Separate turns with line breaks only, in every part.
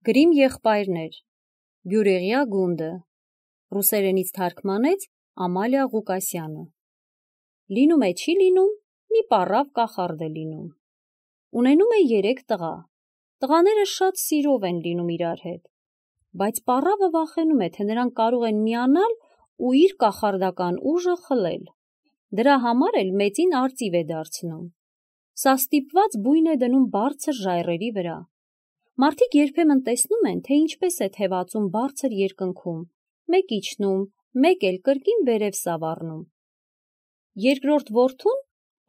Գրիմ եղբայրներ, Բյուրեղյա գունդը, ռուսերենից թարգմանեց Ամալիա Ղուկասյանը։ Լինում է չի լինում, մի պառավ կախարդ է լինում։ Ունենում է 3 տղա, տղաները շատ սիրով են լինում իրար հետ, բայց պառավը վախենում է, թե նրանք կարող են միանալ ու իր կախարդական ուժը խլել, դրա համար էլ մեծին արծիվ է դարձնում։ Սա ստիպված բույն է դնում բարձր ժայռերի վրա։ Մարդիկ երբեմն տեսնում են, թե ինչպես է թևածում բարձր երկնքում, մեկ իջնում, մեկ էլ կրկին վերև սավառնում։ Երկրորդ որդուն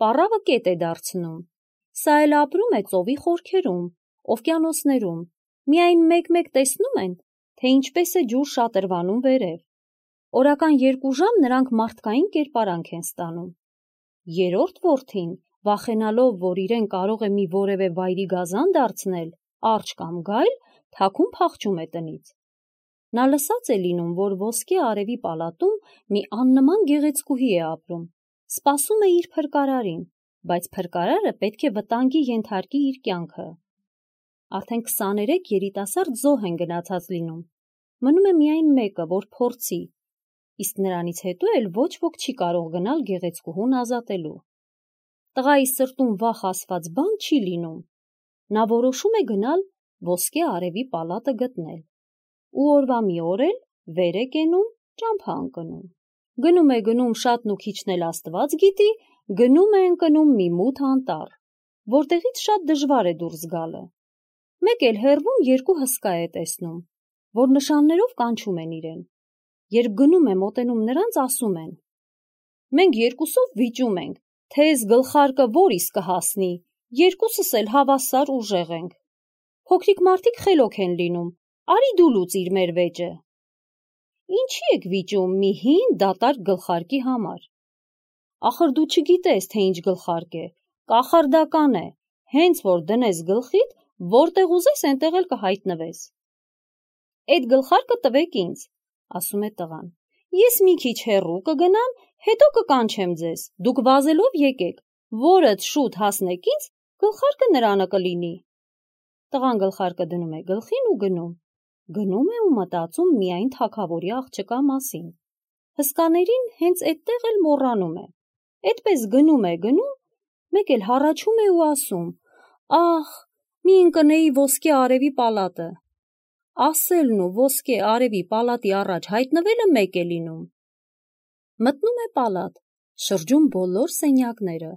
պառավը կետ է դարձնում, սա էլ ապրում է ծովի խորքերում, օվկիանոսներում, միայն մեկ-մեկ տեսնում են, թե ինչպես է ջուր շատրվանում վերև։ Օրական 2 ժամ նրանք մարդկային կերպարանք են ստանում։ Երրորդ որդին, վախենալով, որ իրեն կարող է մի որևէ վայրի գազան դարձնել, արջ կամ գայլ, թաքուն փախչում է տնից։ Նա լսած է լինում, որ ոսկե արևի պալատում մի աննման գեղեցկուհի է ապրում, սպասում է իր փրկարարին, բայց փրկարարը պետք է վտանգի ենթարկի իր կյանքը։ Արդեն 23 երիտասարդ զոհ են գնացած լինում, մնում է միայն մեկը, որ փորձի, իսկ նրանից հետո էլ ոչ ոք չի կարող գնալ գեղեցկուհուն ազատելու։ Տղայի սրտում վախ ասված բան չի լինում, նա որոշում է գնալ ոսկե արևի պալատը գտնել, ու օրվա մի օր էլ վեր է կենում, ճամփա ընկնում։ Գնում է գնում շատն ու քիչն էլ Աստված գիտի, գնում է ընկնում մի մութ անտառ, որտեղից շատ դժվար է դուրս գալը։ Մեկ էլ հեռվում 2 հսկա է տեսնում, որ նշաններով կանչում են իրեն։ Երբ գնում է մոտենում նրանց, ասում են. «Մենք երկուսով վիճում ենք, թե էս գլխարկը որիս կհասնի, երկուսս էլ հավասար ուժեղ ենք։ Փոքրիկ մարդիկ խելոք են լինում, արի դու լուծիր մեր վեճը»։ Ինչի եք վիճում մի հին դատարկ գլխարկի համար։ Ախր դու չգիտես, թե ինչ գլխարկ է, կախարդական է, հենց որ դնես գլխիդ, որտեղ ուզես այնտեղ էլ կհայտնվես։ Այդ գլխարկը տվեք ինձ, ասում է տղան։ Ես մի քիչ հեռու կգնամ, հետո կկանչեմ ձեզ, դուք վազելով եկեք, որդ շուտ հասնեք ինձ, գլխարկը նրանը կլինի։ Տղան գլխարկը դնում է գլխին ու գնում։ Գնում է ու մտածում միայն թագավորի աղջկա մասին։ Հսկաներին հենց այդտեղ էլ մոռանում է։ Այդպես գնում է գնում, մեկ էլ հառաչում է ու ասում. «Ախ, մի ընկնեի ոսկե արևի պալատը»։ Ասելն ու ոսկե արևի պալատի առաջ հայտնվելը մեկ է լինում։ Մտնում է պալատ, շրջում բոլոր սենյակները,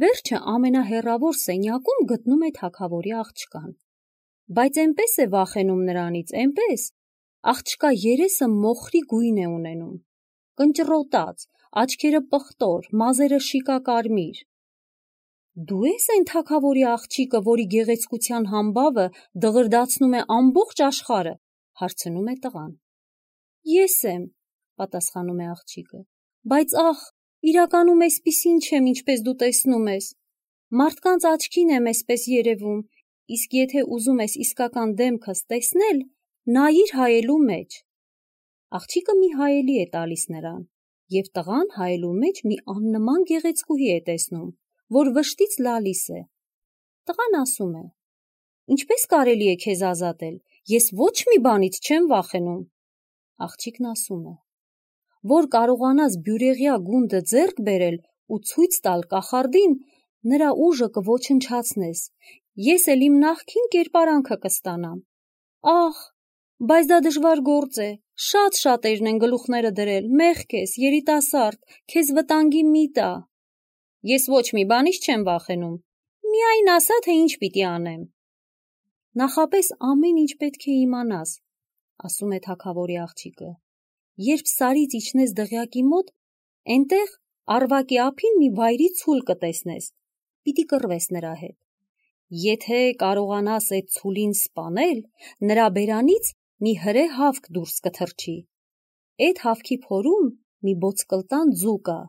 վերջը ամենահեռավոր սենյակում գտնում է թագավորի աղջկան։ Բայց այնպես է վախենում նրանից, այնպես, աղջկա երեսը մոխրի գույն է ունենում, կնճռոտած, աչքերը պղտոր, մազերը շիկակարմիր։ Դու ես այն թագավորի աղջիկը, որի գեղեցկության համբավը դղրդացնում է ամբողջ աշխարհը, հարցնում է տղան։ Ես եմ, պատասխանում է աղջիկը, բայց ախ, իրականում էսպիսին չեմ, ինչպես դու տեսնում ես։ Մարդկանց աչքին եմ էսպես երևում, իսկ եթե ուզում ես իսկական դեմքս տեսնել, նայիր հայելու մեջ։ Աղջիկը մի հայելի է տալիս նրան, և տղան հայելու մեջ մի աննման գեղեցկուհի է տեսնում, որ վշտից լալիս է։ Տղան ասում է. «Ինչպես կարելի է քեզ ազատել, ես ոչ մի բանից չեմ վախենում»։ Աղջիկն ասում է. «Որ կարողանաս Բյուրեղյա գունդը ձեռք բերել ու ցույց տալ կախարդին, նրա ուժը կոչնչացնես, ես էլ իմ նախկին կերպարանքը կստանամ։ Ախ, բայց դա դժվար գործ է, շատ շատերն են գլուխները դրել, մեղք ես, երիտասարդ, քեզ վտանգի մի տա։ Ես ոչ մի բանից չեմ վախենում, միայն ասա, թե ինչ պիտի անեմ։ Նախապես ամեն ինչ պետք է իմանաս, ասում է թագավորի աղջիկը։ Երբ սարից իջնես դղյակի մոտ, այնտեղ Արվակի ափին մի վայրի ցուլ կտեսնես, պիտի կռվես նրա հետ։ Եթե կարողանաս այդ ցուլին սպանել, նրա բերանից մի հրե հավք դուրս կթռչի։ Այդ հավքի փորում մի ոսկլտան ձու կա,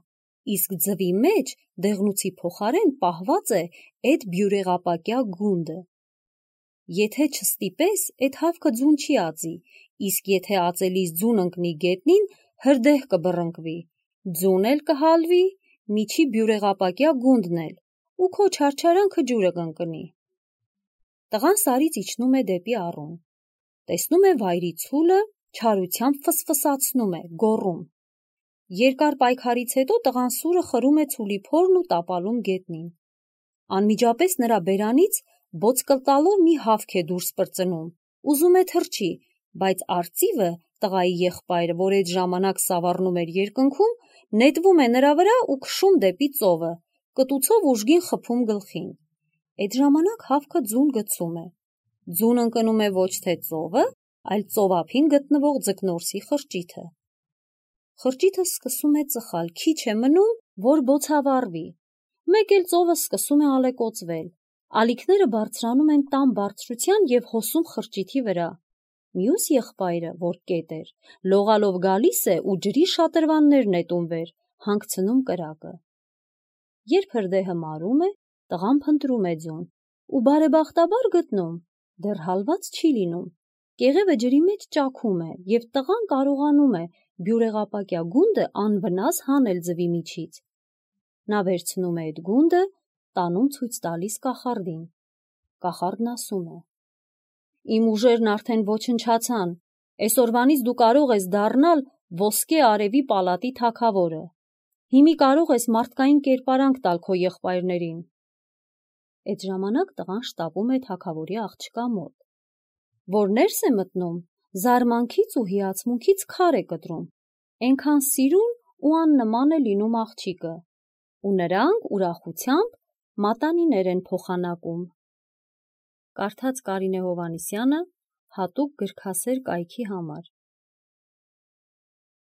իսկ ձվի մեջ դեղնուցի փոխարեն պահված է այդ բյուրեղապակյա գունդը։ Եթե չստիպես, այդ հավքը ձուն չի ածի, իսկ եթե ածելիս ձուն ընկնի գետնին, հրդեհ կբռնկվի, ձուն էլ կհալվի, միջի բյուրեղապակյա գունդն էլ, ու քո չարչարանքը ջուրը կընկնի։ Տղան սարից իջնում է դեպի առուն։ տեսնում է վայրի ցուլը, չարությամբ ֆսֆսացնում է, գոռում։ Երկար պայքարից հետո տղան սուրը խրում է ցուլի փորն ու տապալում գետնին։ Անմիջապես նրա բերանից բոծկլ տալով մի հավք է դուրս պրծնում, ուզում է թռչի, բայց արծիվը, տղայի եղբայրը, որ այդ ժամանակ սավառնում էր երկնքում, նետվում է նրա վրա ու քշում դեպի ծովը, կտուցով ուժգին խփում գլխին։ Այդ ժամանակ հավքը ձուն գցում է։ Ձուն ընկնում է ոչ թե ծովը, այլ ծովափին գտնվող ձկնորսի խրճիթը։ Խրճիթը սկսում է ծխալ, քիչ է մնում, որ բոցավառվի։ Մեկ էլ ծովը սկսում է ալեկոծվել։ Ալիքները բարձրանում են տան բարձրության և հոսում խրճիթի վրա։ Մյուս եղբայրը, որ կետ էր, լողալով գալիս է ու ջրի շատրվաններ նետում վեր, հանգցնում կրակը։ Երբ հրդեհը մարում է, տղան փնտրում է ձուն ու բարեբախտաբար գտնում, դեռ հալված չի լինում։ Կեղևը ջրի մեջ ճաքում է և տղան կարողանում է բյուրեղապակյա գունդը անվնաս հանել ձվի միջից։ Նա վերցնում է այդ գունդը, տանում ցույց տալիս կախարդին։ Կախարդն ասում է. «Իմ ուժերն արդեն ոչնչացան, այսօրվանից դու կարող ես դառնալ ոսկե արևի պալատի թագավորը։ Հիմի կարող ես մարդկային կերպարանք տալ քո եղբայրներին»։ Այդ ժամանակ տղան շտապում է թագավորի աղջկա մոտ, որ ներս է մտնում, զարմանքից ու հիացմունքից քար է կտրում, այնքան սիրուն ու աննման է լինում աղջիկը, ու նրանք ուրախությամբ մատանիներ են փոխանակում։ Կարդաց Կարինե Հովհաննիսյանը հատուկ գրքասեր կայքի համար։